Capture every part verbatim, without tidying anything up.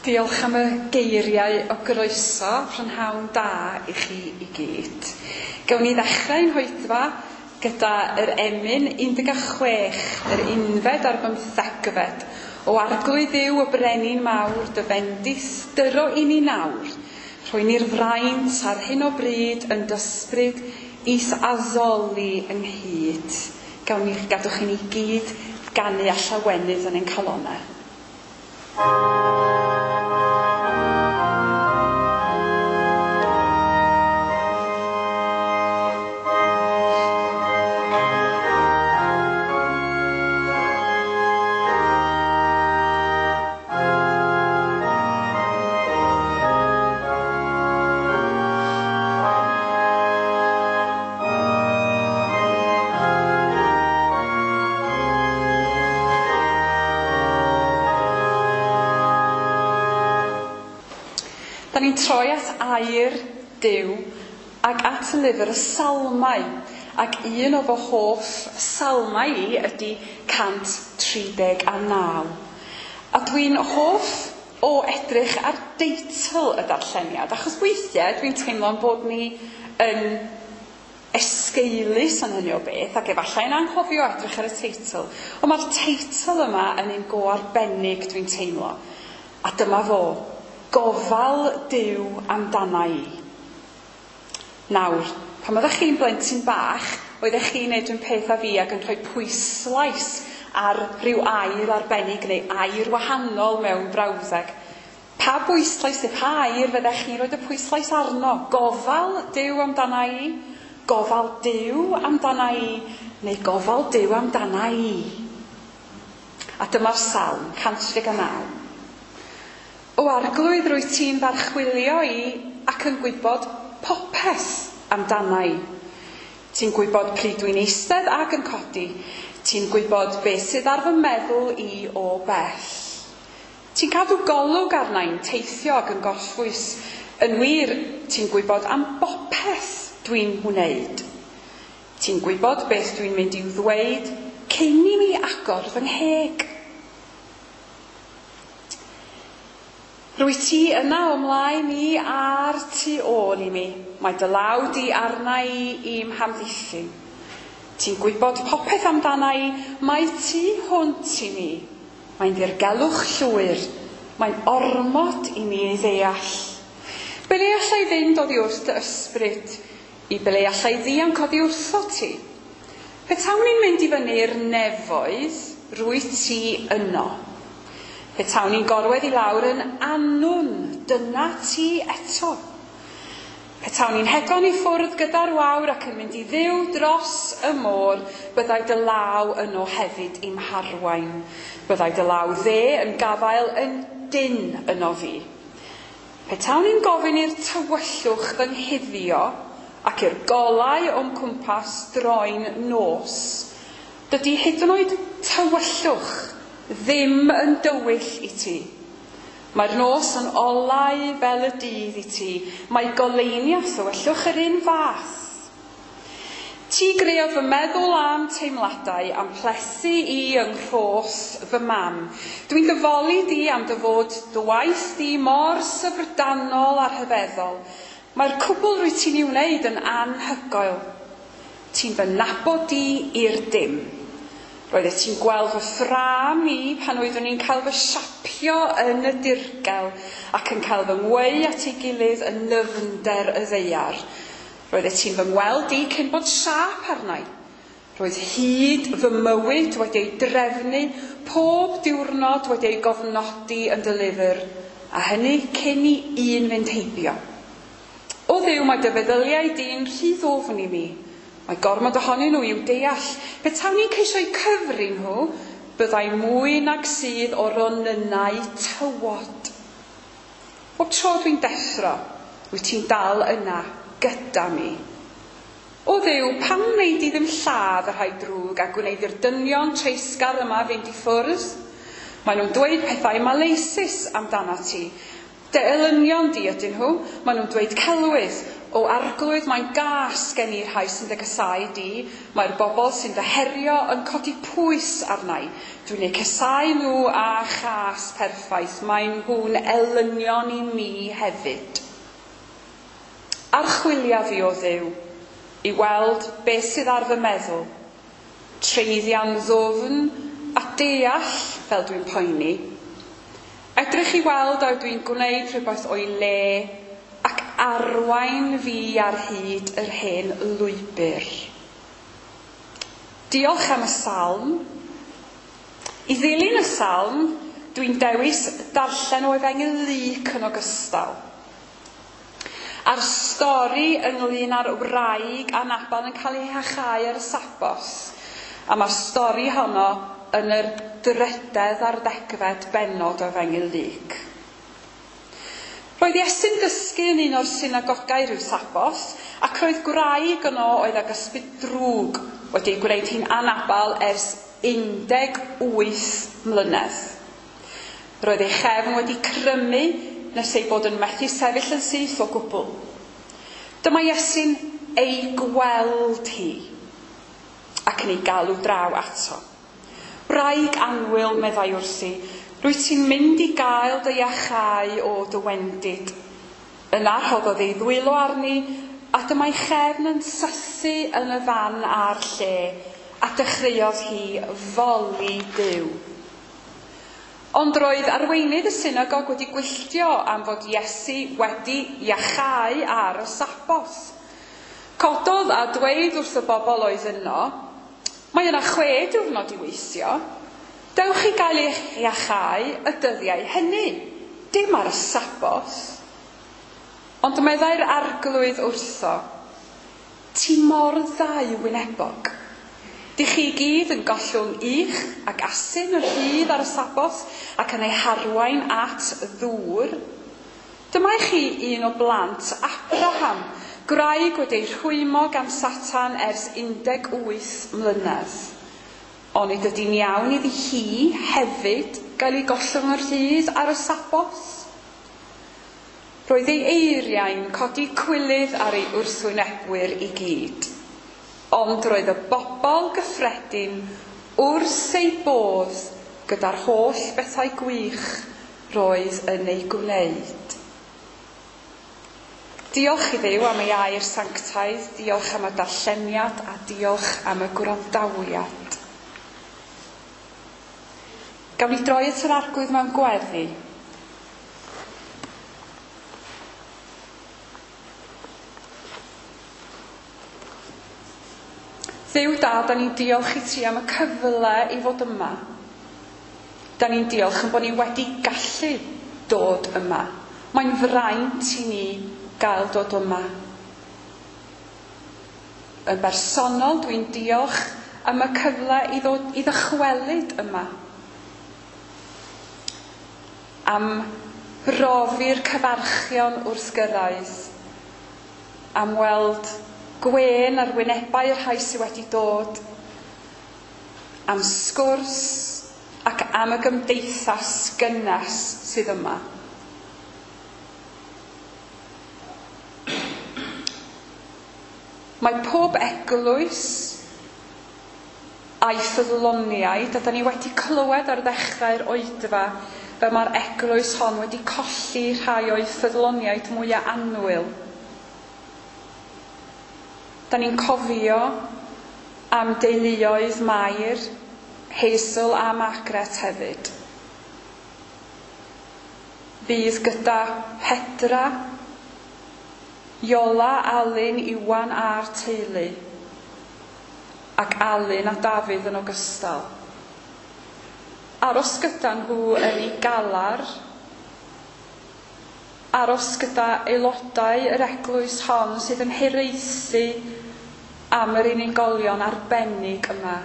Diolch am y geiriau o groeso, prynhawn da i chi i gyd. Gawn ni ddechrau'n hoedfa gyda yr emyn un deg chwech, yr unfed a'r bymthegfed. O Arglwydd Dduw y brenin mawr, dy fendith dyro i ni nawr. Rhoi ni'r fraint ar hyn o bryd yn dysbryd is addoli ynghyd. Gawn ni gadwch i ni gyd ganu a llawenydd yn ein calonau. Da ni'n troi at air Duw ac at lyfr y Salmau, ac un o fy hoff salmau i ydy cant tri deg a naw. A dwi'n hoff o edrych ar deitl y darlleniad, achos weithiau dwi'n teimlo'n bod ni yn esgeulus yn hynny o beth, ac efallai'n anghofio edrych ar y teitl. Ond mae'r teitl yma yn un go arbennig dwi'n teimlo. A dyma fo. Gofal Duw amdana i. Nawr, pan oeddech chi'n blentyn bach, oeddech chi'n neud un peth â fi ac yn rhoi pwyslais ar ryw air arbennig neu air wahanol mewn brawddeg. Pa bwyslais neu pa air fyddech chi'n rhoi y pwyslais arno? Gofal Duw amdana i? Gofal Duw amdana i? Neu gofal Duw amdana i? A dyma'r salm, cant tri deg a naw. O Arglwydd, rwyt ti'n f'archwilio i ac yn gwybod popeth amdana i. Ti'n gwybod pryd dwi'n eistedd ac yn codi. Ti'n gwybod beth sydd ar fy meddwl i o bell. Ti'n cadw golwg arna i'n teithio ac yn gorffwys. Yn wir, ti'n gwybod am bopeth dwi'n wneud. Ti'n gwybod beth dwi'n mynd i'w ddweud cyn i mi agor fy ngheg. Rwyt ti yna o mlaen i a'r tu ôl i mi. Mae dy law di arna i i'm hamddiffyn. Ti'n gwybod popeth amdana i, mae tu hwnt i mi. Mae'n ddirgelwch llwyr, mae'n ormod i mi ei ddeall. Ble allai fynd oddi wrth dy ysbryd? I ble allai ddianc oddi wrtho ti? Petawn i'n mynd i fyny'r nefoedd, rwyt ti yno. Petawn i'n gorwedd i lawr yn annwn, dyna ti eto. Petawn i'n hedfan i ffwrdd gyda'r wawr ac yn mynd i ddiw dros y môr, byddai dy law yno hefyd i'm harwain. Byddai dy law dde yn gafael yn dyn yno fi. Petawn i'n gofyn i'r tywyllwch fy nghuddio ac i'r golau o'm cwmpas droi'n nos, dydy hyd yn oed tywyllwch ddim yn dywyll i ti. Mae'r nos yn olau fel y dydd i ti. Mae goleuni a thywyllwch yr un fath. Ti greodd fy meddwl am teimladau, am plesu i yng nghros fy mam. Dwi'n dyfoli di am dy fod dy waith di mor syfrdanol a rhyfeddol. Mae'r cwbl rwyt ti'n ei wneud yn anhygoel. Ti'n fy nabod di i'r dim. Roeddet ti'n gweld fy ffrâm i pan oeddwn i'n cael fy siapio yn y dirgel ac yn cael fy ngweu at ei gilydd yn nyfnder y ddaear. Roeddet ti'n fy ngweld i cyn bod siâp arna i. Roedd hyd fy mywyd wedi ei drefnu, pob diwrnod wedi ei gofnodi yn dy lyfr, a hynny cyn i un fynd heibio. O Dduw, mae dy feddyliau di'n rhy ddwfn i mi. Mae gormod ohonyn nhw i'w deall. Petawn i'n ceisio'u cyfri nhw, byddai mwy nag sydd o ronynnau tywod. Bob tro dwi'n deffro, wyt ti'n dal yna gyda mi. O Dduw, pam wnei di ddim lladd y rhai drwg a gwneud i'r dynion treisgar yma fynd i ffwrdd? Maen nhw'n dweud pethau maleisus amdana ti. Dy elynion di ydyn nhw, maen nhw'n dweud celwydd. O Arglwydd, mae'n gas gen i rhai sy'n dy gasáu di. Mae'r bobl sy'n dy herio yn codi pwys arna i. Dwi'n eu casáu nhw â chas perffaith. Maen nhw'n elynion i mi hefyd. Archwilia fi, o Dduw, i weld beth sydd ar fy meddwl. Treiddia'n ddwfn a deall fel dwi'n poeni. Edrych i weld a ydw i'n gwneud rhywbeth o'i le ac arwain fi ar hyd yr hen lwybr. Diolch am y salm. I ddilyn y salm, dwi'n dewis darllen o Efengyl Luc yn ogystal. A'r stori ynglyn â'r wraig a Nabal yn cael ei hachau ar y Sabos. A mae'r stori honno yn yr drydedd ar ddegfed bennod o Efengyl Luc. Roedd Iesu'n dysgu yn un o'r synagogau rhyw Sabos, ac roedd gwraig yno oedd ag ysbryd drwg wedi ei gwneud hi'n anabal ers un deg wyth mlynedd. Roedd ei chefn wedi crymu nes ei bod yn methu sefyll yn syth o gwbl. Dyma Iesu'n ei gweld hi ac yn ei galw draw ato. "Wraig annwyl," meddai wrthi, "rwyt ti'n mynd i gael dy iachau o dy wendid." Yna rhoddodd ei ddwylo arni, a dyma'i chefn yn sythu yn y fan a'r lle, a dechreuodd hi foli Duw. Ond roedd arweinydd y synagog wedi gwylltio am fod Iesu wedi iachau ar y Sabos. Cododd a dweud wrth y bobl oedd yno, "Mae yna chwe diwrnod i weithio. Dewch i gael eich iachau y dyddiau hynny, dim ar y Sabos." Ond meddai'r Arglwydd wrtho, "Ti mor ddau wynebog. Dych chi gyd yn gollwng ych ac asyn yn rhydd ar y Sabos ac yn ei harwain at ddŵr. Dyma i chi un o blant Abraham, gwraig wedi ei rhwymo gan Satan ers un deg wyth mlynedd. Onid ydy'n iawn iddi hi hefyd gael ei gollwng yn rhydd ar y Sabos?" Roedd ei eiriau'n codi cwilydd ar ei wrthwynebwyr i gyd. Ond roedd y bobl gyffredin wrth ei bodd gyda'r holl bethau gwych roedd yn ei gwneud. Diolch i Dduw am ei air sanctaidd, diolch am y darlleniad a diolch am y gwrandawiad. Gawn ni droi at yr Arglwydd mewn gweddi. Dduw da, da ni'n diolch i ti am y cyfle i fod yma. Da ni'n diolch yn bod ni wedi gallu dod yma. Mae'n fraint i ni gael dod yma. Yn bersonol, dwi'n diolch am y cyfle i ddod i ddychwelyd yma. Am brofi'r cyfarchion wrth gyrraedd. Am weld gwên ar wynebau'r rhai sydd wedi dod, am sgwrs ac am y gymdeithas gynnes sydd yma. Mae pob eglwys a'i ffyddloniaid, a da ni wedi clywed ar ddechrau'r oedfa, fel mae'r eglwys hon wedi colli rhai o'i ffyddloniaid mwyaf annwyl. Da ni'n cofio am deuluoedd Mair, Hazel a Margaret hefyd. Fydd gyda Pedra, Iola, Alun, Iwan a'r teulu, ac Alun a Dafydd yn ogystal. Aros gyda nhw yn ei galar, aros gyda aelodau yr eglwys hon sydd yn hiraethu am yr unigolion arbennig yma.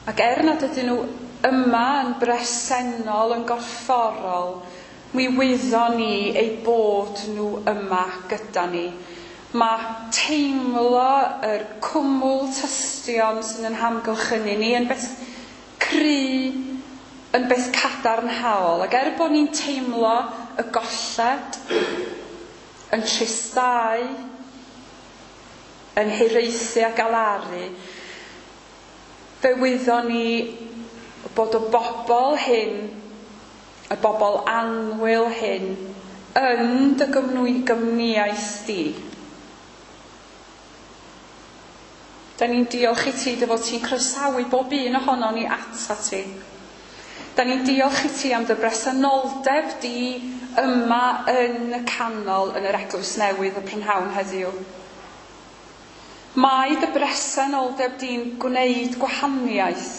Ac er nad ydyn nhw yma yn bresennol, yn gorfforol, mi wyddon ni eu bod nhw yma gyda ni. Mae teimlo yr cwmwl tystion sydd yn hamgylchynu ni yn beth cry, yn beth cadarnhaol. Ac er bod ni'n teimlo y golled, yn tristau, yn hiraethu a galaru, fe wyddon ni bod y bobl hyn, y bobl annwyl hyn, yn dy gwmnïaeth di. Da ni'n diolch i ti dy fod ti'n croesawu bob un ohonon ni atat ti. Da ni'n diolch i ti am dy bresenoldeb di yma yn y canol yn yr eglwys newydd y prynhawn heddiw. Mae dy bresenoldeb di'n gwneud gwahaniaeth.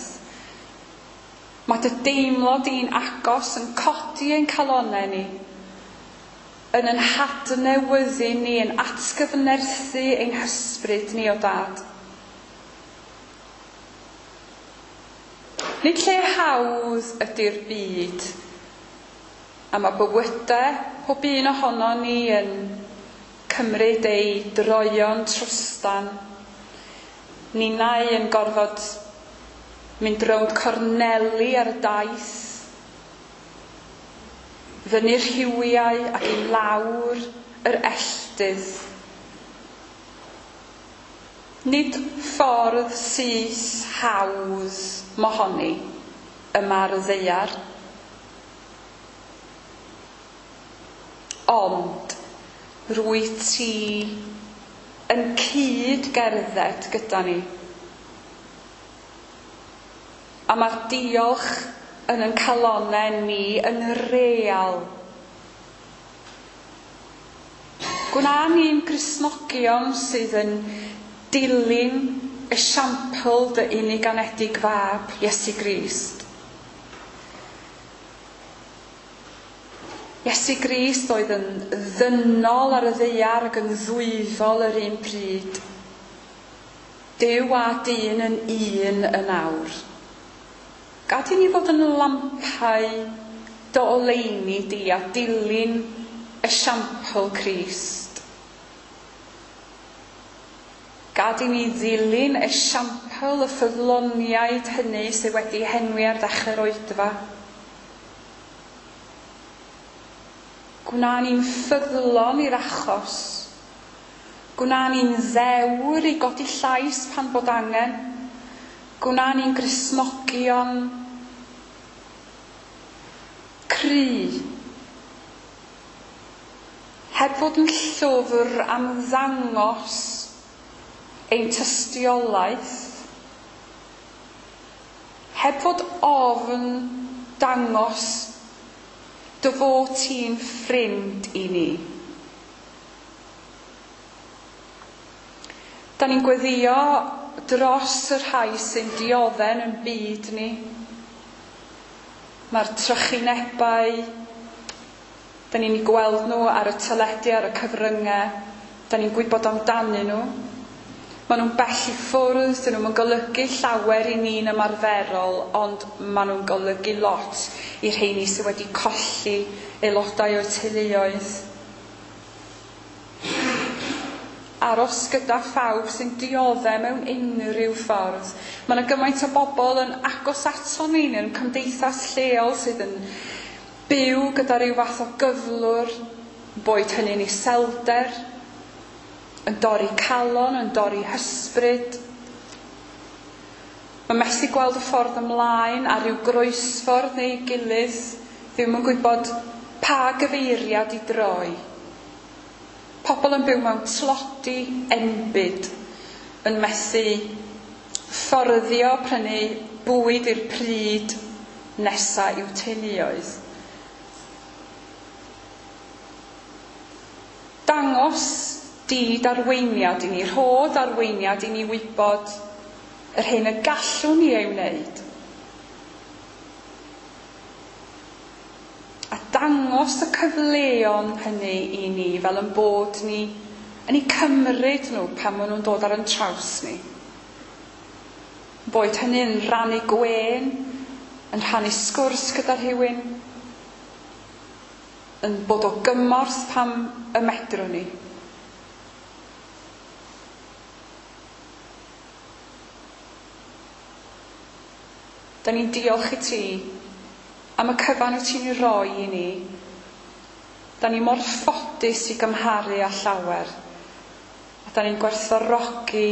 Mae dy deimlo di'n agos yn codi ein calonnau ni, yn yn hadnewyddu ni, yn atgyfnerthu ein hysbryd ni o Dad. Nid lle hawdd ydy'r byd, a mae bywydau pob un ohono ni yn cymryd ei droion trwstan. Ninnau yn gorfod mynd rownd corneli ar y daith, fyny'r rhiwiau ac i lawr yr elltydd. Nid ffordd syth hawdd mohoni yma ar y ddaear. Ond rwyt ti yn cyd gerdded gyda ni. A mae'r diolch yn ein calonnau ni yn real. Gwna ni'n Gristnogion sydd yn dilyn esiampl dy unig anedig fab, Iesu Grist. Iesu Grist oedd yn ddynol ar y ddaear ac yn ddwyfol yr un pryd. Duw a dyn yn un yn awr. Gad i ni fod yn lampau dy oleuni di a dilyn esiampl Crist. Gad i ni ddilyn esiampl y ffyddloniaid hynny sydd wedi henwi ar ddechrau'r oedfa. Gwna ni'n ffyddlon i'r achos. Gwna ni'n ddewr i godi llais pan bod angen. Gwna ni'n Gristnogion cry. Heb fod yn llwfr am ddangos ein tystiolaeth, heb fod ofn dangos dy fod ti'n ffrind i ni. Da ni'n gweddio dros y rhai sy'n diodde'n yn byd ni. Mae'r trychinebau, da ni'n gweld nhw ar y teledu, ar y cyfryngau, da ni'n gwybod amdanyn nhw. Maen nhw'n bell i ffwrdd, dyn nhw'n golygu llawer i ni'n ymarferol, ond maen nhw'n golygu lot i'r rheini sydd wedi colli aelodau o'r teuluoedd. Aros gyda phawb sy'n dioddef mewn unrhyw ffordd. Mae yna gymaint o bobl yn agos ato ni yn cymdeithas lleol sydd yn byw gyda rhyw fath o gyflwr, boed hynny'n iselder, yn dorri calon, yn dorri hysbryd. Mae methu gweld y ffordd ymlaen ar ryw groesffordd neu gilydd, ddim yn gwybod pa gyfeiriad i droi. Pobl yn byw mewn tlodi enbyd, yn methu fforddio prynu bwyd i'r pryd nesa i'w teuluoedd. Dangos di darweiniad i ni, rhodd arweiniad i ni wybod yr hyn y gallwn ni ei wneud. A dangos y cyfleon hynny i ni fel yn bod ni yn eu cymryd nhw pan maen nhw'n dod ar ein traws ni. Boed hynny'n rhannu gwên, yn rhannu sgwrs gyda rhywun, yn bod o gymorth pam y medrwn ni. Da ni'n diolch i ti am y cyfan wyt ti'n ei roi i ni Da ni mor ffodus i gymharu â llawer. A da ni'n gwerthfawrogi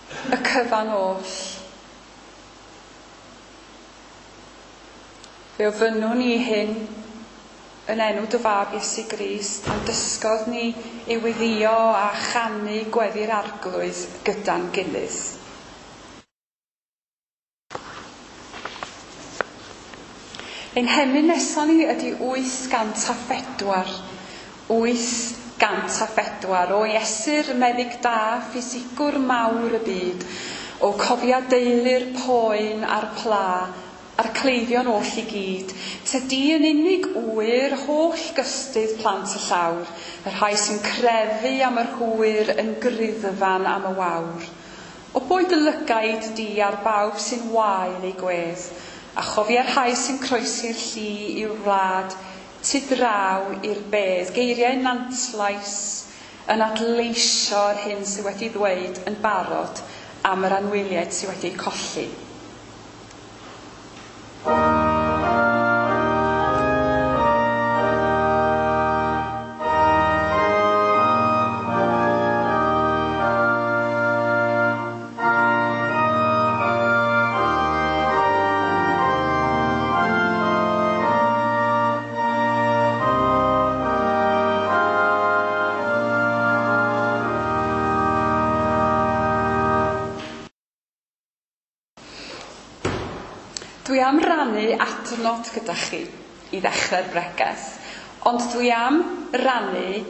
y cyfan oll. Fe ofynnwn ni hyn yn enw dy fab Iesu Grist, a'n dysgodd ni i weddïo a chanu gweddi'r Arglwydd gyda'n gilydd. Ein hemyn nesaf ni ydy wyth gant a phedwar. wyth gant a phedwar o Iesu'r meddyg da, ffisigwr mawr y byd, o cofia deulu'r poen a'r pla, a'r cleifion oll i gyd. Tydi yn unig ŵyr holl gystudd plant y llawr, y rhai sy'n crefu am yr hwyr yn griddfan am y wawr. O boed y lygaid di ar bawb sy'n wael ei gwedd, a chofia'r rhai sy'n croesi'r lli i'w wlad, tu draw i'r bedd. Geiriau Nantlais yn adleisio'r hyn sydd wedi ddweud yn barod am yr anwyliaid sydd wedi colli. Dwi am rannu adnod gyda chi i ddechrau'r bregeth, ond dwi am rannu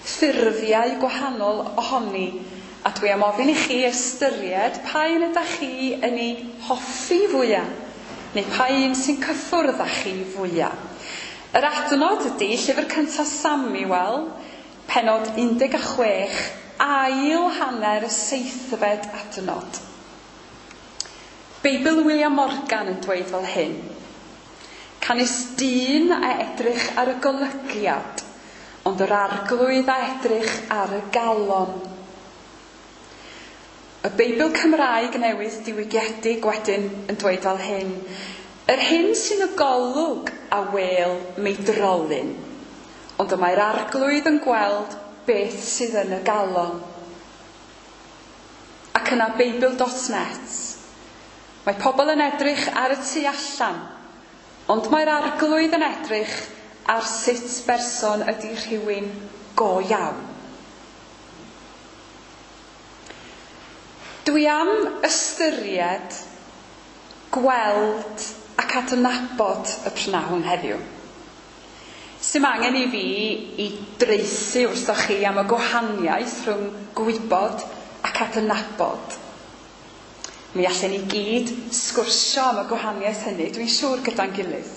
ffurfiau gwahanol ohoni, a dwi am ofyn i chi ystyried pa un ydych chi yn ei hoffi fwyaf, neu pa un sy'n cyffwrdd â chi fwyaf. Yr adnod ydy llyfr cyntaf Samuel, pennod un deg chwech, ail hanner y seithfed adnod. Beibl William Morgan yn dweud fel hyn: Canys dyn a edrych ar y golygiad, ond yr Arglwydd a edrych ar y galon. Y Beibl Cymraeg newydd diwygiedig wedyn yn dweud fel hyn: Yr hyn sy'n y golwg a wel meidrolyn, ond y mae'r Arglwydd yn gweld beth sydd yn y galon. Ac yna Beibl dot net. Mae pobl yn edrych ar y tu allan, ond mae'r Arglwydd yn edrych ar sut berson ydy rhywun go iawn. Dwi am ystyried, gweld ac adnabod y prynhawn heddiw. Sdim angen i fi i draethu wrthoch chi am y gwahaniaeth rhwng gwybod ac adnabod. Mi allan ni gyd sgwrsio am y gwahaniaeth hynny, dwi'n siŵr gyda'n gilydd.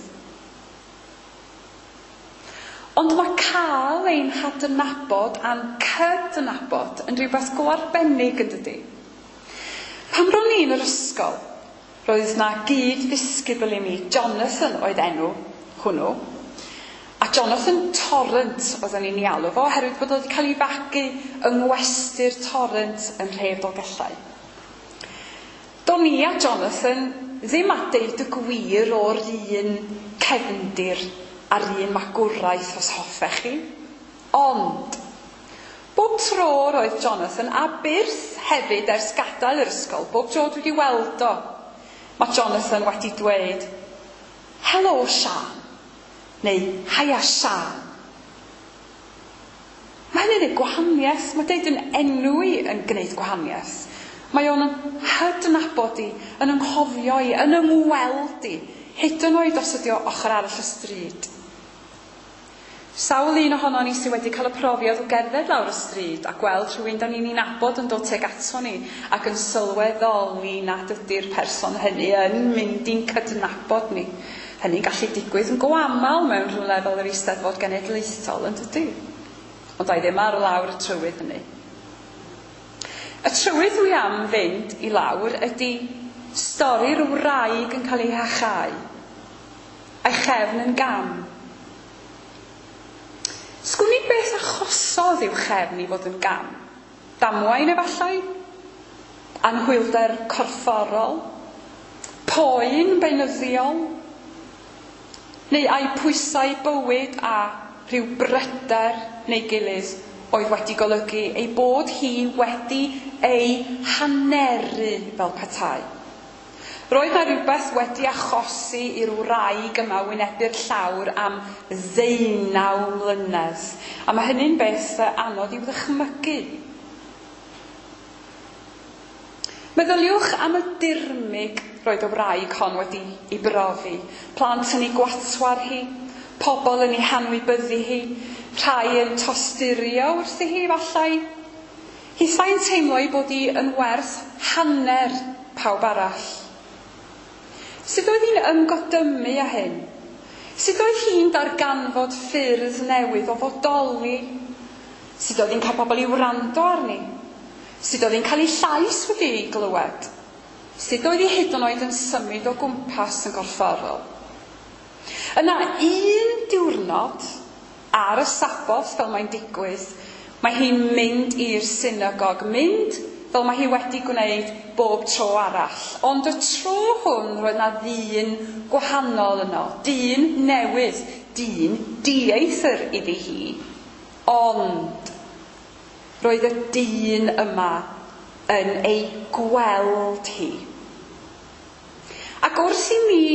Ond mae cael ein hadnabod a'n cydnabod yn rhywbeth go arbennig yn dydi. Pan ro'n i yn yr ysgol, roedd na gyd-ddisgybl i mi, Jonathan oedd enw hwnnw, a Jonathan Torrent oedden ni'n ei alw fo, oherwydd bod o wedi cael ei fagu yng ngwesty'r Torrent yn nhref Dolgellau. Do'n i a Jonathan ddim a deud y gwir o'r un cefndir a'r un magwraeth os hoffech chi. Ond, bob tro roedd Jonathan a byrth hefyd ers gadael yr ysgol, bob tro dwi wedi weld o, mae Jonathan wedi dweud, "Helo Sian," neu "Haia Sian." Mae hynny'n gwneud gwahaniaeth, mae deud yn enw i yn gwneud gwahaniaeth. Mae o'n hydnabod i, yn ynghofio i, yn ymweld i, hyd yn oed os ydi o ochr arall y stryd. Sawl un ohono ni sydd wedi cael y profiad o gerdded lawr y stryd a gweld rhywun da ni'n ei nabod yn dod tuag ato ni ac yn sylweddoli nad ydy'r person hynny yn mynd i'n cydnabod ni. Hynny'n gallu digwydd yn go aml mewn rhywle fel yr Eisteddfod Genedlaethol, yn dydy? Ond a'i ddim ar lawr y trywydd hynny. Y trywydd dwi am fynd i lawr ydy stori'r wraig yn cael ei hachau, a'i chefn yn gam. Sgwn i beth achosodd i'w chefn i fod yn gam? Damwain efallai? Anhwylder corfforol? Poen beunyddiol? Neu ai pwysau bywyd a rhyw bryder neu gilydd oedd wedi golygu ei bod hi wedi ei haneru fel petai. Roedd 'na rhywbeth wedi achosi i'r wraig yma wynebu'r llawr am ddeunaw mlynedd. A mae hynny'n beth anodd i'w ddychmygu. Meddyliwch am y dirmyg roedd y wraig hon wedi ei brofi. Plant yn ei gwatwar hi, pobl yn ei hanwybyddu hi, rhai yn tosturio wrthi hi efallai. Hithau'n teimlo ei bod hi yn werth hanner pawb arall. Sut oedd hi'n ymgodymu â hyn? Sut oedd hi'n darganfod ffyrdd newydd o fodoli? Sut oedd hi'n cael pobl i wrando arni? Sut oedd hi'n cael ei llais wedi ei glywed? Sut oedd hi hyd yn oed yn symud o gwmpas yn gorfforol? Yna un diwrnod, ar y Saboth, fel mae'n digwydd, mae hi'n mynd i'r synagog, mynd fel mae hi wedi gwneud bob tro arall. Ond y tro hwn roedd 'na ddyn gwahanol yno, dyn newydd, dyn dieithr iddi hi. Ond roedd y dyn yma yn ei gweld hi. Ac wrth i mi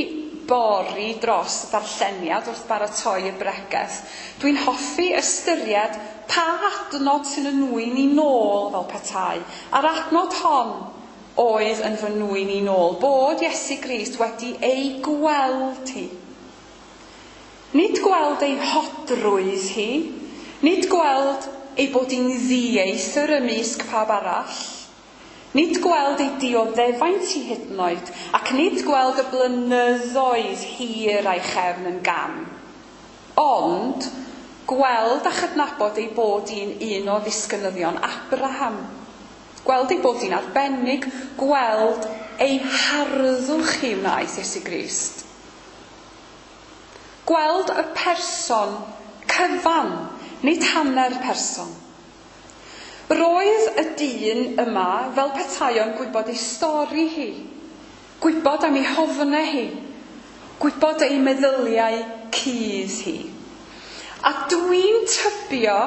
bori dros y darlleniad wrth baratoi y bregeth, dwi'n hoffi ystyried pa adnod sy'n y nwyn i nôl fel petai. A'r adnod hon oedd yn fy nwyn i nôl, bod Iesu Grist wedi ei gweld hi. Nid gweld ei hodrwydd hi, nid gweld ei bod hi'n ddieithr ymysg pawb arall, nid gweld ei dioddefaint hi hyd yn oed, ac nid gweld y blynyddoedd hir a'i chefn yn gam. Ond gweld a chydnabod ei bod hi'n un o ddisgynyddion Abraham. Gweld ei bod hi'n arbennig, gweld ei harddwch hi wnaeth Iesu Grist. Gweld y person cyfan, nid hanner person. Roedd y dyn yma fel petai o'n gwybod ei stori hi, gwybod am ei hofnau hi, gwybod ei meddyliau cudd hi. A dwi'n tybio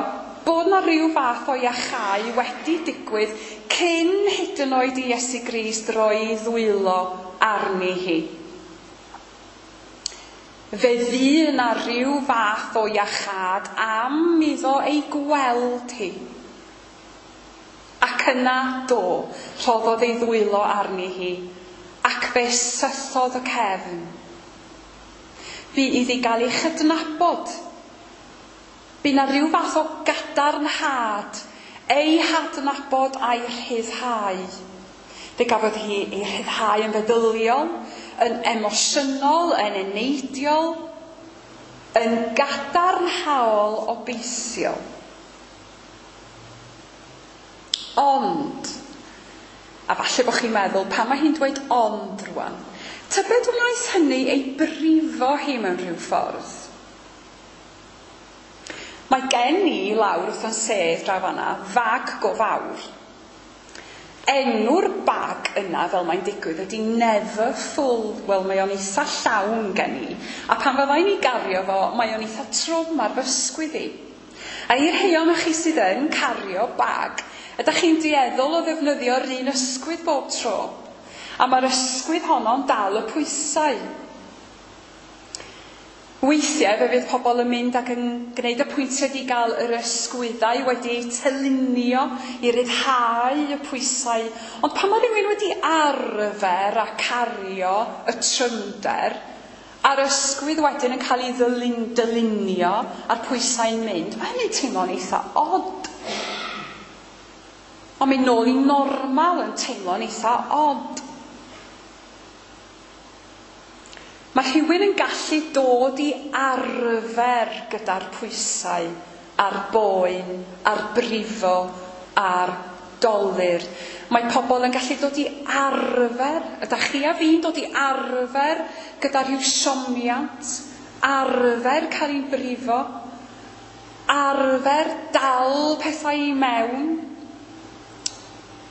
bod 'na ryw fath o iachau wedi digwydd cyn hyd yn oed i Iesu Grist roi ddwylo arni hi. Fe fu yna rhyw fath o iachâd am iddo ei gweld hi. Ac yna do, rhoddodd ei ddwylo arni hi, ac fe sythodd y cefn. Bu iddi gael ei chydnabod. Bu 'na rhyw fath o gadarnhad, ei hadnabod a'i rhyddhau. Fe gafodd hi ei rhyddhau yn feddyliol, yn emosiynol, yn eneidiol, yn gadarnhaol obeithiol. Ond, a falle bod chi'n meddwl, pan mae hi'n dweud ond rwan, tybed wnaeth hynny ei brifo hi mewn rhyw ffordd? Mae gen i lawr wrth yn sedd draw fan'na fag go fawr. Enw'r bag yna, fel mae'n digwydd, ydy Never Full. Wel, mae o'n eitha llawn gen i. A pan fyddai'n ei gario fo, mae o'n eitha trwm ar fy ysgwydd i. A i'r rhai ohonoch chi sydd yn cario bag, ydych chi'n dueddol o ddefnyddio'r un ysgwydd bob tro. A mae'r ysgwydd honno'n dal y pwysau. Weithiau fe fydd pobl yn mynd ac yn gwneud apwyntiad i gael yr ysgwyddau wedi eu tylunio i ryddhau y pwysau. Ond pan mae rhywun wedi arfer a cario y trymder, a'r ysgwydd wedyn yn cael ei ddylun, dylunio a'r pwysau'n mynd, mae hynny'n teimlo'n eitha od. Ond mynd nôl i normal yn teimlo'n eitha od. Mae rhywun yn gallu dod i arfer gyda'r pwysau, a'r boen, a'r brifo, a'r dolur. Mae pobl yn gallu dod i arfer, ydych chi a fi'n dod i arfer gyda rhyw siomiant, arfer cael ein brifo, arfer dal pethau i mewn.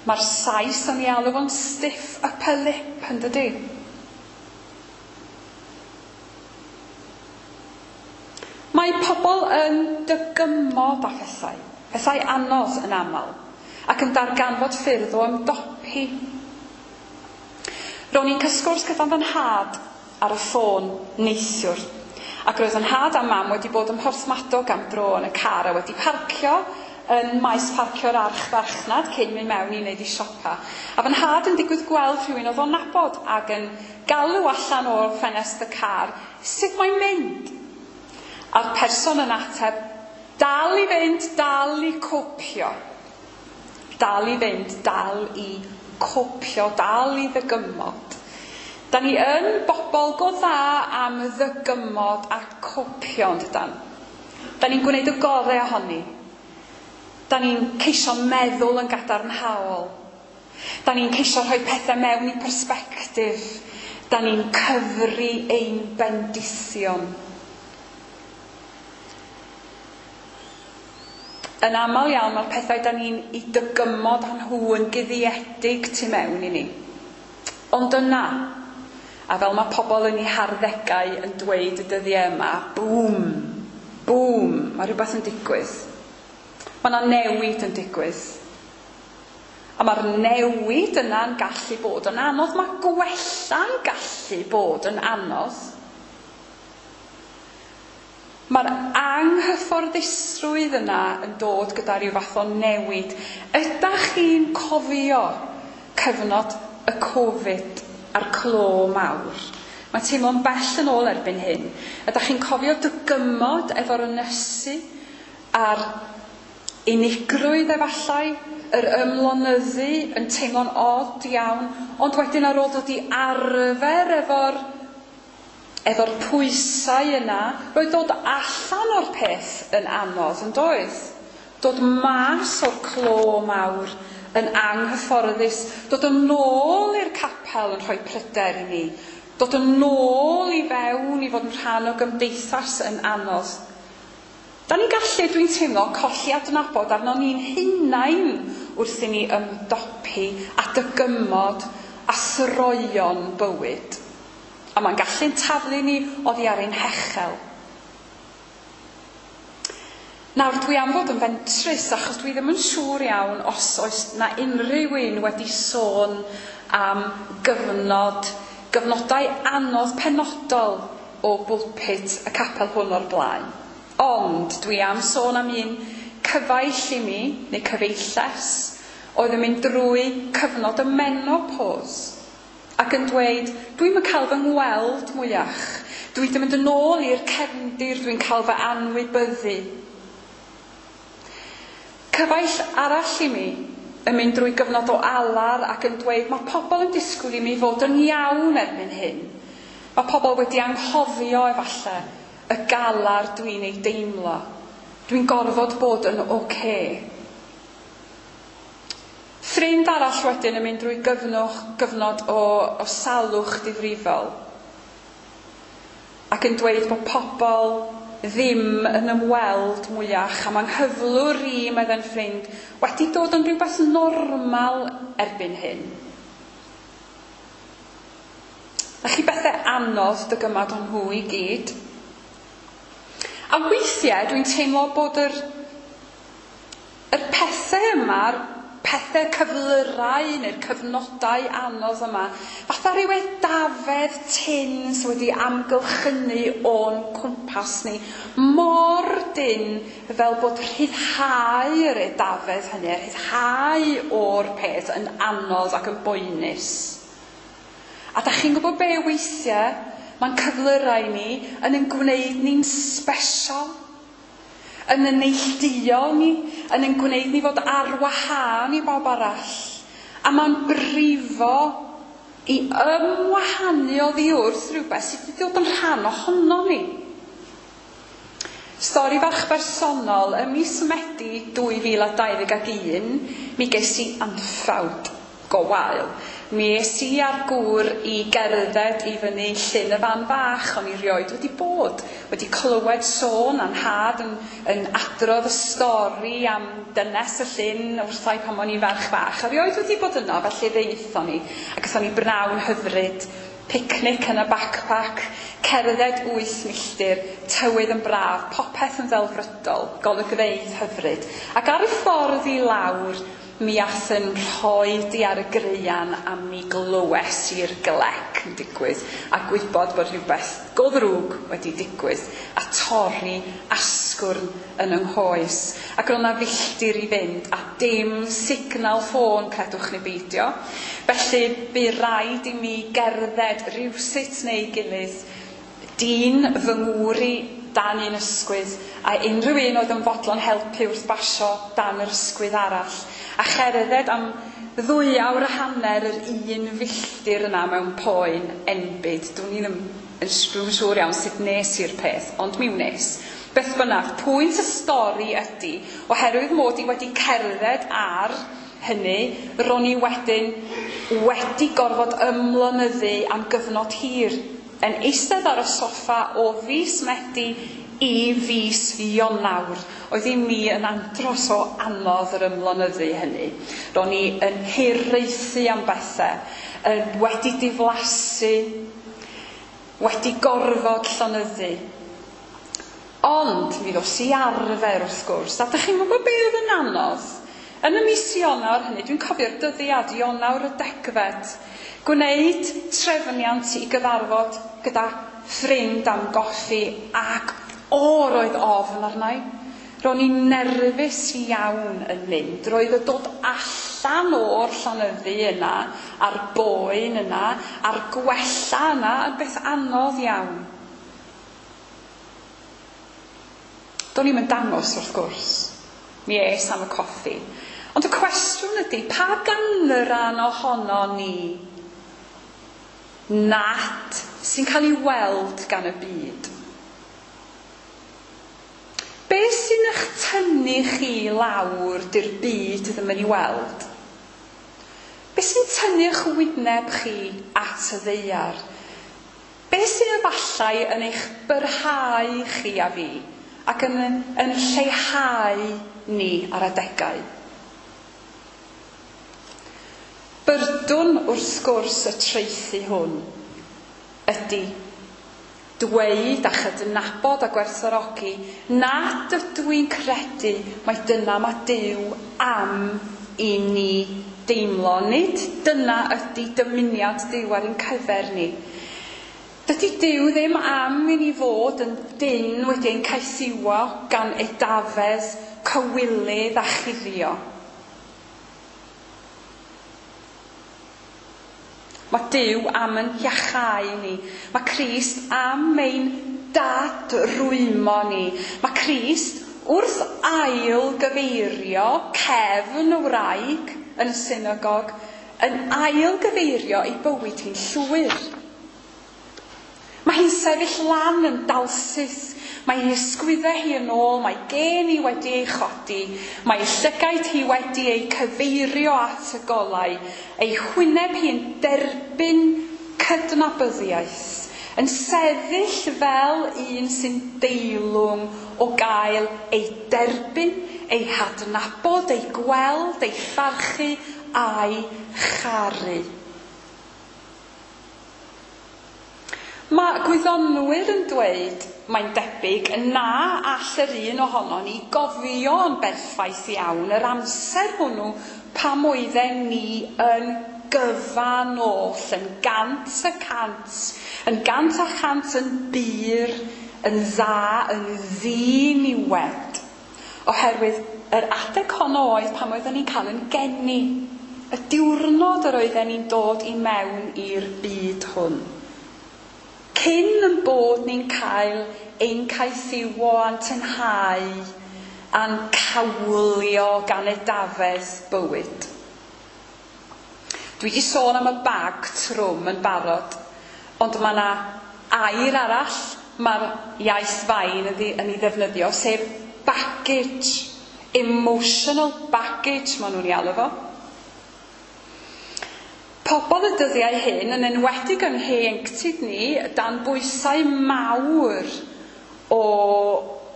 Mae'r Sais yn ei alw fo'n stiff upper lip, yn dydy? Mae pobl yn dygymod â phethau, pethau anodd yn aml, ac yn darganfod ffyrdd o ymdopi. Ro'n i'n cael sgwrs gyda fy nhad ar y ffôn neithiwr, ac roedd fy nhad a mam wedi bod ym Mhorthmadog am dro yn y car a wedi parcio yn maes parcio'r archfarchnad cyn mynd mewn i wneud i siopa. A fy nhad yn digwydd gweld rhywun oedd o'n nabod ac yn galw allan o'r ffenest y car, sut mae'n mynd? A'r person yn ateb, dal i fynd, dal i copio. Dal i fynd, dal i copio, dal i ddygymod. Da ni yn bobl go dda am ddygymod a copio, yn dydan? Da ni'n gwneud y gorau ohoni. Da ni'n ceisio meddwl yn gadarnhaol. Da ni'n ceisio rhoi pethau mewn i persbectif. Da ni'n cyfri ein bendithion. Yn aml iawn mae'r pethau da ni'n i dygymod â nhw yn guddiedig tu mewn i ni. Ond yna, a fel mae pobl yn eu harddegau yn dweud y dyddiau yma, bŵm, bŵm, mae rhywbeth yn digwydd. Mae yna newid yn digwydd. A mae'r newid yna'n gallu bod yn anodd. Mae gwella'n gallu bod yn anodd. Mae'r anghyfforddusrwydd yna yn dod gyda rhyw fath o newid. Ydach chi'n cofio cyfnod y Covid a'r clo mawr? Mae'n teimlo'n bell yn ôl erbyn hyn. Ydach chi'n cofio dygymod efo'r ynysu a'r unigrwydd efallai, yr ymlonyddu yn teimlo'n od iawn, ond wedyn ar ôl dod i arfer efo'r efo'r pwysau yna, roedd dod allan o'r peth yn anodd, yn doedd? Dod mas o'r clo mawr yn anghyfforddus, dod yn ôl i'r capel yn rhoi pryder i ni, dod yn ôl i fewn i fod yn rhan o gymdeithas yn anodd. Da ni'n gallu, dwi'n teimlo, colli adnabod arno ni'n hunain wrth i ni ymdopi a dygymod a throion bywyd. A mae'n gallu'n taflu ni oddi ar ein hechel. Nawr, dwi am fod yn fentrus, achos dwi ddim yn siŵr iawn os oes na unrhyw un wedi sôn am gyfnod, gyfnodau anodd penodol o bwlpit y capel hwn o'r blaen. Ond dwi am sôn am un cyfaill i mi, neu cyfeilles, oedd yn mynd drwy cyfnod y menopause. Ac yn dweud, dwi'm yn cael fy ngweld mwyach. Dwi wedi mynd yn ôl i'r cefndir, dwi'n cael fy anwybyddu. Cyfaill arall i mi yn mynd drwy gyfnod o alar ac yn dweud, mae pobl yn disgwyl i mi fod yn iawn erbyn hyn. Mae pobl wedi anghofio efallai y galar dwi'n ei deimlo. Dwi'n gorfod bod yn oce. Okay. Ffrind arall wedyn yn mynd drwy gyfnod, gyfnod o, o salwch difrifol ac yn dweud bod pobl ddim yn ymweld mwyach a mae nghyflwr i, meddai'n ffrind, wedi dod yn rhywbeth normal erbyn hyn. A chi bethau anodd dygymod o'n nhw i gyd. A weithiau dwi'n teimlo bod yr, yr pethau yma'r pethau cyflyrau neu'r cyfnodau anodd yma, fatha rhyw edafedd tyn sydd wedi amgylchynu o'n cwmpas ni, mor dyn fel bod rhyddhau yr edafedd hynny, rhyddhau o'r peth yn anodd ac yn boenus. A da chi'n gwybod be weithiau mae'n cyflyrau ni yn ein gwneud ni'n special, yn yn neilltuo ni, yn ein gwneud ni fod ar wahân i bawb arall. A mae'n brifo i ymwahanu oddi wrth rhywbeth sydd wedi dod yn rhan ohono ni. Stori fach bersonol, ym mis Medi dwy fil a dau ddeg ac un, mi ges i anffawd go wael. Mi es i a'r gŵr i gerdded i fyny Llyn y Fan Fach, o'n i rioed wedi bod, wedi clywed sôn a'n nhad yn, yn adrodd y stori am dynes y llyn wrthai pan o'n i'n ferch fach. A rioed wedi bod yno, felly ddaethon ni, ac aethon ni brnawn hyfryd, picnic yn y backpack, Cerdded wyth milltir, tywydd yn braf, popeth yn ddelfrydol, golygfeydd hyfryd. Ac ar y ffordd i lawr, mi ath yn rhoi di ar y graean a mi glywes i'r glec yn digwydd a gwybod bod rhywbeth go ddrwg wedi digwydd a torri asgwrn yn yng nghoes. Ac roedd 'na filltir i fynd a dim signal ffôn, credwch neu beidio. Felly bu raid i mi gerdded rywsut neu gilydd, dyn fy ngŵr i dan un ysgwydd a unrhyw un oedd yn fodlon helpu wrth basio dan yr ysgwydd arall, a cherdded am ddwy awr a hanner yr un filltir yna mewn poen enbyd. Dwn i ddim yn siŵr iawn sut nes i'r peth, ond mi wnes. Beth bynnag, pwynt y stori ydy, oherwydd mod i wedi cerdded ar hynny, ro'n i wedyn wedi gorfod ymlonyddu am gyfnod hir, yn eistedd ar y soffa o fis Medi i fis Ionawr. Oedd i mi yn andros o anodd yr ymlonyddu hynny. Ro'n i yn hiraethu am bethau, yn wedi diflasu, wedi gorfod llonyddu. Ond mi ddos i arfer wrth gwrs, a dych chi'n gwybod be oedd yn anodd? Yn y mis Ionawr hynny, dwi'n cofio'r dyddiad, Ionawr y degfed, gwneud trefniant i gyfarfod gyda ffrind am goffi, ac o, roedd ofn arna i. Ro'n i'n nerfus iawn yn mynd. Roedd y dod allan o'r llonyddu yna, a'r boen yna, a'r gwella yna, yn beth anodd iawn. Do'n i'm yn dangos wrth gwrs. Mi es am y coffi. Ond y cwestiwn ydy, pa ganran ohono ni nad sy'n cael ei weld gan y byd? Be sy'n eich tynnu chi lawr di'r byd ddim yn ei weld? Be sy'n tynnu eich wyneb chi at y ddaear? Be sy'n efallai yn eich byrhau chi a fi ac yn, yn lleihau ni ar adegau? Byrdwn wrth gwrs y traethu hwn ydy dweud a chydnabod a gwerthfawrogi nad ydw i'n credu mai dyna mae Duw am i ni deimlo. Nid dyna ydy dymuniad Duw ar ein cyfer ni. Dydy Duw ddim am i ni fod yn dyn wedi ein caethiwo gan edafedd, cywilydd a chuddio. Mae Duw am yn iachau ni. Mae Crist am ein dadrwymo ni. Mae Crist wrth ail gyfeirio cefn y wraig yn y synagog yn ail gyfeirio ei bywyd hi'n llwyr. Mae hi'n sefyll lan yn dalsyth. Mae ei ysgwyddau hi yn ôl, mae gen hi wedi ei chodi, mae ei llygaid hi wedi ei cyfeirio at y golau, ei hwyneb hi'n derbyn cydnabyddiaeth, yn sefyll fel un sy'n deilwng o gael ei derbyn, ei hadnabod, ei gweld, ei pharchu a'i charu. Mae gwyddonwyr yn dweud, mae'n debyg, na all yr un ohono ni gofio yn berffaith iawn yr amser hwnnw pam oedden ni yn gyfan oll, yn gant y cant, yn gant a chant yn bur, yn dda, yn ddiniwed. Oherwydd yr adeg honno oedd pam oedden ni'n cael yn geni, y diwrnod yr oedden ni'n dod i mewn i'r byd hwn. Cyn yn bod ni'n cael ein caethiwo a'n tynhau a'n cawlio gan edafedd bywyd. Dwi wedi sôn am y bag trwm yn barod, ond mae yna air arall mae'r iaith fain yn ei ddefnyddio, sef baggage, emotional baggage maen nhw'n ei alw fo. Pobl y dyddiau hyn, yn enwedig yn ieuenctid ni, dan bwysau mawr o,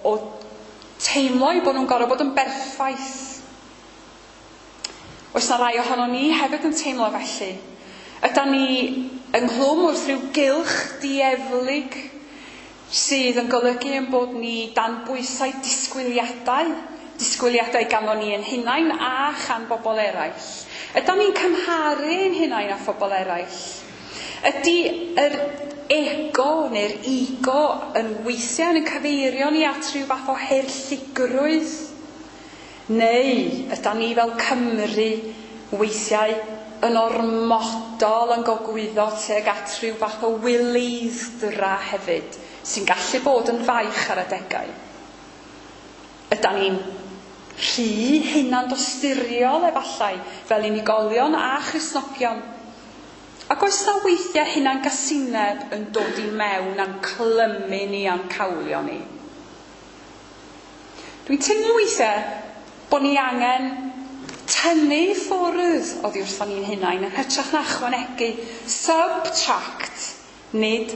o teimlo eu bod nhw'n gorfod bod yn berffaith. Oes na rai ohono ni hefyd yn teimlo felly? Ydan ni ynghlwm wrth rhyw gylch dieflig Sydd yn golygu ein bod ni dan bwysau disgwyliadau, disgwyliadau ganddo ni ein hunain a chan bobl eraill. Ydan ni'n cymharu ein hunain â phobl eraill? Ydy yr ego neu'r ego yn weithiau yn cyfeirio ni at rhyw fath o haerllugrwydd? Neu ydan ni fel Cymry weithiau yn ormodol yn gogwyddo tuag at rhyw fath o wyleidd-dra hefyd, sy'n gallu bod yn faich ar adegau? Ydan ni'n rhy hunandosturiol efallai fel unigolion a Christnogion? Ac oes na weithiau hunangasineb yn dod i mewn a'n clymu ni a'n cawlio ni? Dwi'n teimlo weithiau bod ni angen tynnu i ffwrdd oddi wrthon ni'n hunain yn hytrach na ychwanegu, subtract, nid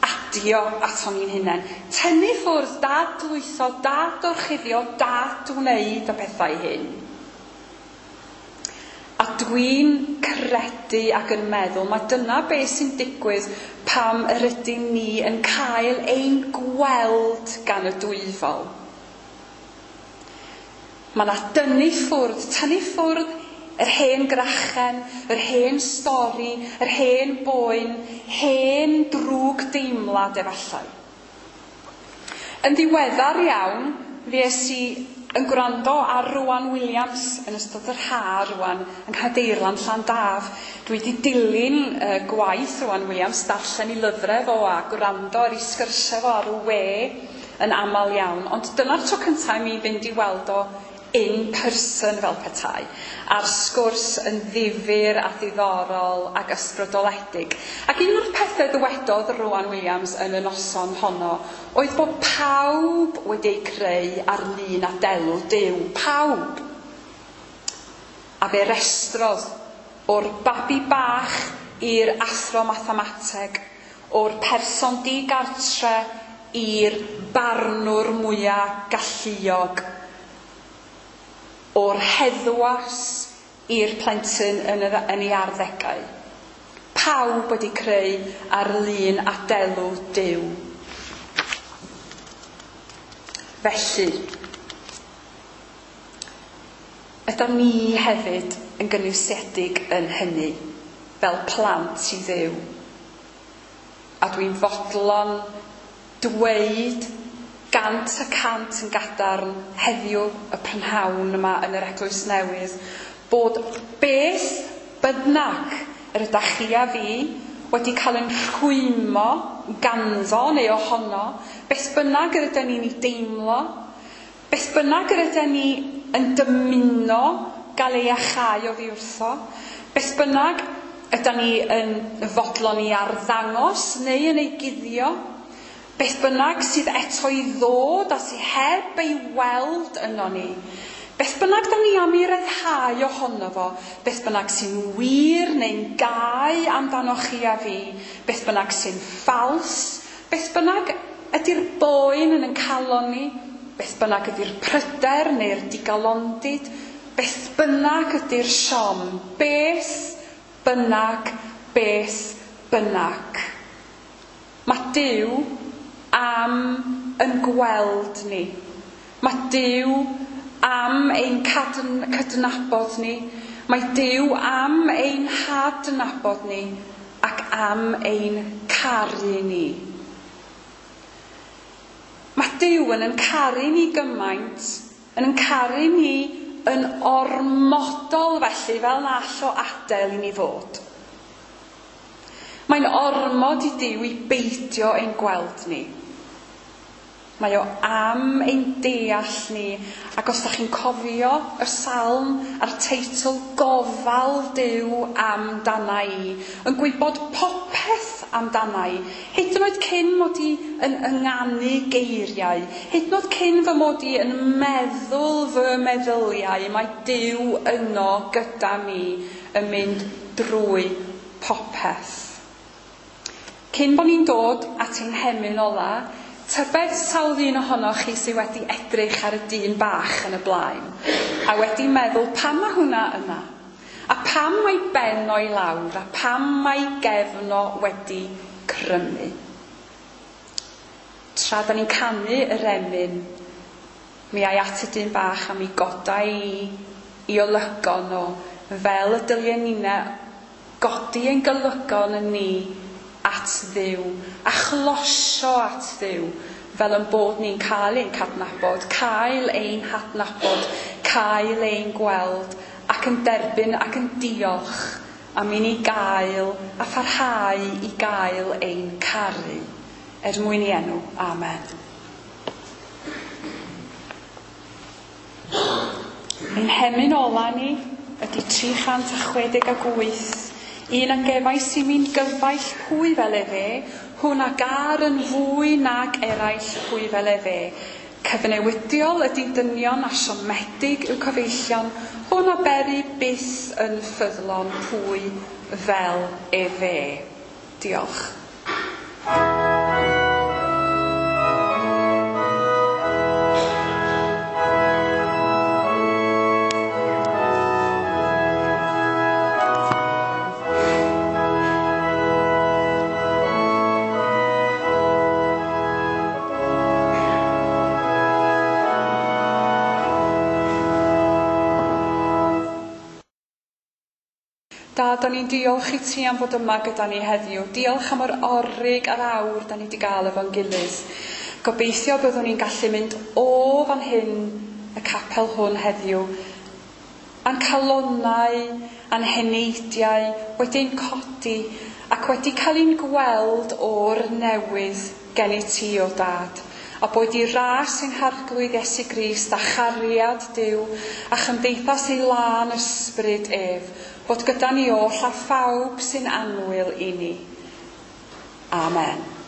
adio aton ni'n hunain. Tynnu ffwrdd, dadlwytho, dadorchuddio, dadwneud y pethau hyn. A dwi'n credu ac yn meddwl mae dyna beth sy'n digwydd pam yr ydyn ni yn cael ein gweld gan y dwyfol. Mae yna dynnu ffwrdd, tynnu ffwrdd yr hen grachen, yr hen stori, yr hen boen, hen drwg deimlad efallai. Yn ddiweddar iawn, fues i yn gwrando ar Rowan Williams yn ystod yr ha rwan yng Nghadeirlan Llandaf. Dwi wedi dilyn uh, gwaith Rowan Williams, darllen ei lyfrau fo a gwrando ar ei sgyrsiau fo ar y we yn aml iawn. Ond dyna'r tro cyntaf i mi fynd i weld o in person fel petai, a'r sgwrs yn ddifyr a ddiddorol ac ysbrydoledig. Ac un o'r pethau ddywedodd Rowan Williams yn y noson honno oedd bod pawb wedi eu creu ar lun a delw Duw. Pawb. A fe restrodd o'r babi bach i'r athro mathemateg, o'r person digartre i'r barnwr mwyaf galluog, o'r heddwas i'r plentyn yn, y, yn ei arddegau. Pawb wedi creu ar lun a delw Duw. Felly, ydan ni hefyd yn gynwysedig yn hynny, fel plant i Dduw. A dwi'n fodlon dweud gant y cant yn gadarn heddiw y prynhawn yma yn yr Eglwys Newydd bod beth bynnag yr ydach chi a fi wedi cael yn rhwymo ganddo neu ohono, beth bynnag yr ydyn ni'n ei deimlo, beth bynnag yr ydyn ni yn dymuno gael ei achau oddi wrtho, beth bynnag ydyn ni yn fodlon i arddangos neu yn ei guddio, beth bynnag sydd eto i ddod a sydd heb ei weld yno ni, beth bynnag da ni am ei ryddhau ohono fo, beth bynnag sy'n wir neu'n gau amdano chi a fi, beth bynnag sy'n ffals, beth bynnag ydy'r boen yn ein calon ni, beth bynnag ydy'r pryder neu'r digalondid, beth bynnag ydy'r siom, beth bynnag, beth bynnag. Mae Duw am yn gweld ni. Mae Duw am ein cydnabod ni. Mae Duw am ein hadnabod ni ac am ein caru ni. Mae Duw yn ein caru ni gymaint, yn ein caru ni yn ormodol felly, fel na all o adael i ni fod. Mae'n ormod i Duw i beidio ein gweld ni. Mae o am ein deall ni, ac os da chi'n cofio y salm a'r teitl Gofal Duw amdana i, yn gwybod popeth amdana i, hyd yn oed cyn mod i yn ynganu geiriau, hyd yn oed cyn fy mod i yn meddwl fy meddyliau, mae Duw yno gyda mi yn mynd drwy popeth. Cyn bod ni'n dod at ein hemyn ola, tybed sawl un ohonoch chi sydd wedi edrych ar y dyn bach yn y blaen a wedi meddwl pam mae hwnna yna, a pam mae ben o'i lawr, a pam mae gefn o wedi crymu. Tra da ni'n canu yr emyn, mi ai at y dyn bach a mi goda i i olygon o, fel y dylia ninna godi ein golygon yn ni at Dduw, a chlosio at Dduw, fel yn bod ni'n cael ein cadnabod, cael ein hadnabod, cael ein gweld, ac yn derbyn ac yn diolch am i ni gael a pharhau i gael ein caru. Er mwyn i enw. Amen. Ein hemyn ola ni ydy tri chant a chwe deg ag wyth. Un a gefais i mi'n gyfaill pwy fel efe, hwn a gar yn fwy nag eraill pwy fel efe. Cyfnewidiol ydy dynion a siomedig yw cyfeillion, hwn a beru byth yn ffyddlon pwy fel efe. Diolch. Da, da ni'n diolch i ti am fod yma gyda ni heddiw. Diolch am yr orig a'r awr da ni wedi gael efo'n gilydd. Gobeithio byddwn ni'n gallu mynd o fan hyn y capel hwn heddiw, a'n calonnau, a'n heneidiau wedi'n codi ac wedi cael ein gweld o'r newydd gen i ti o Dad. A boed i ras ein Harglwydd Iesu Grist a chariad Duw a chymdeithas ei lân ysbryd ef, bod gyda ni oll a phawb sy'n annwyl i ni. Amen.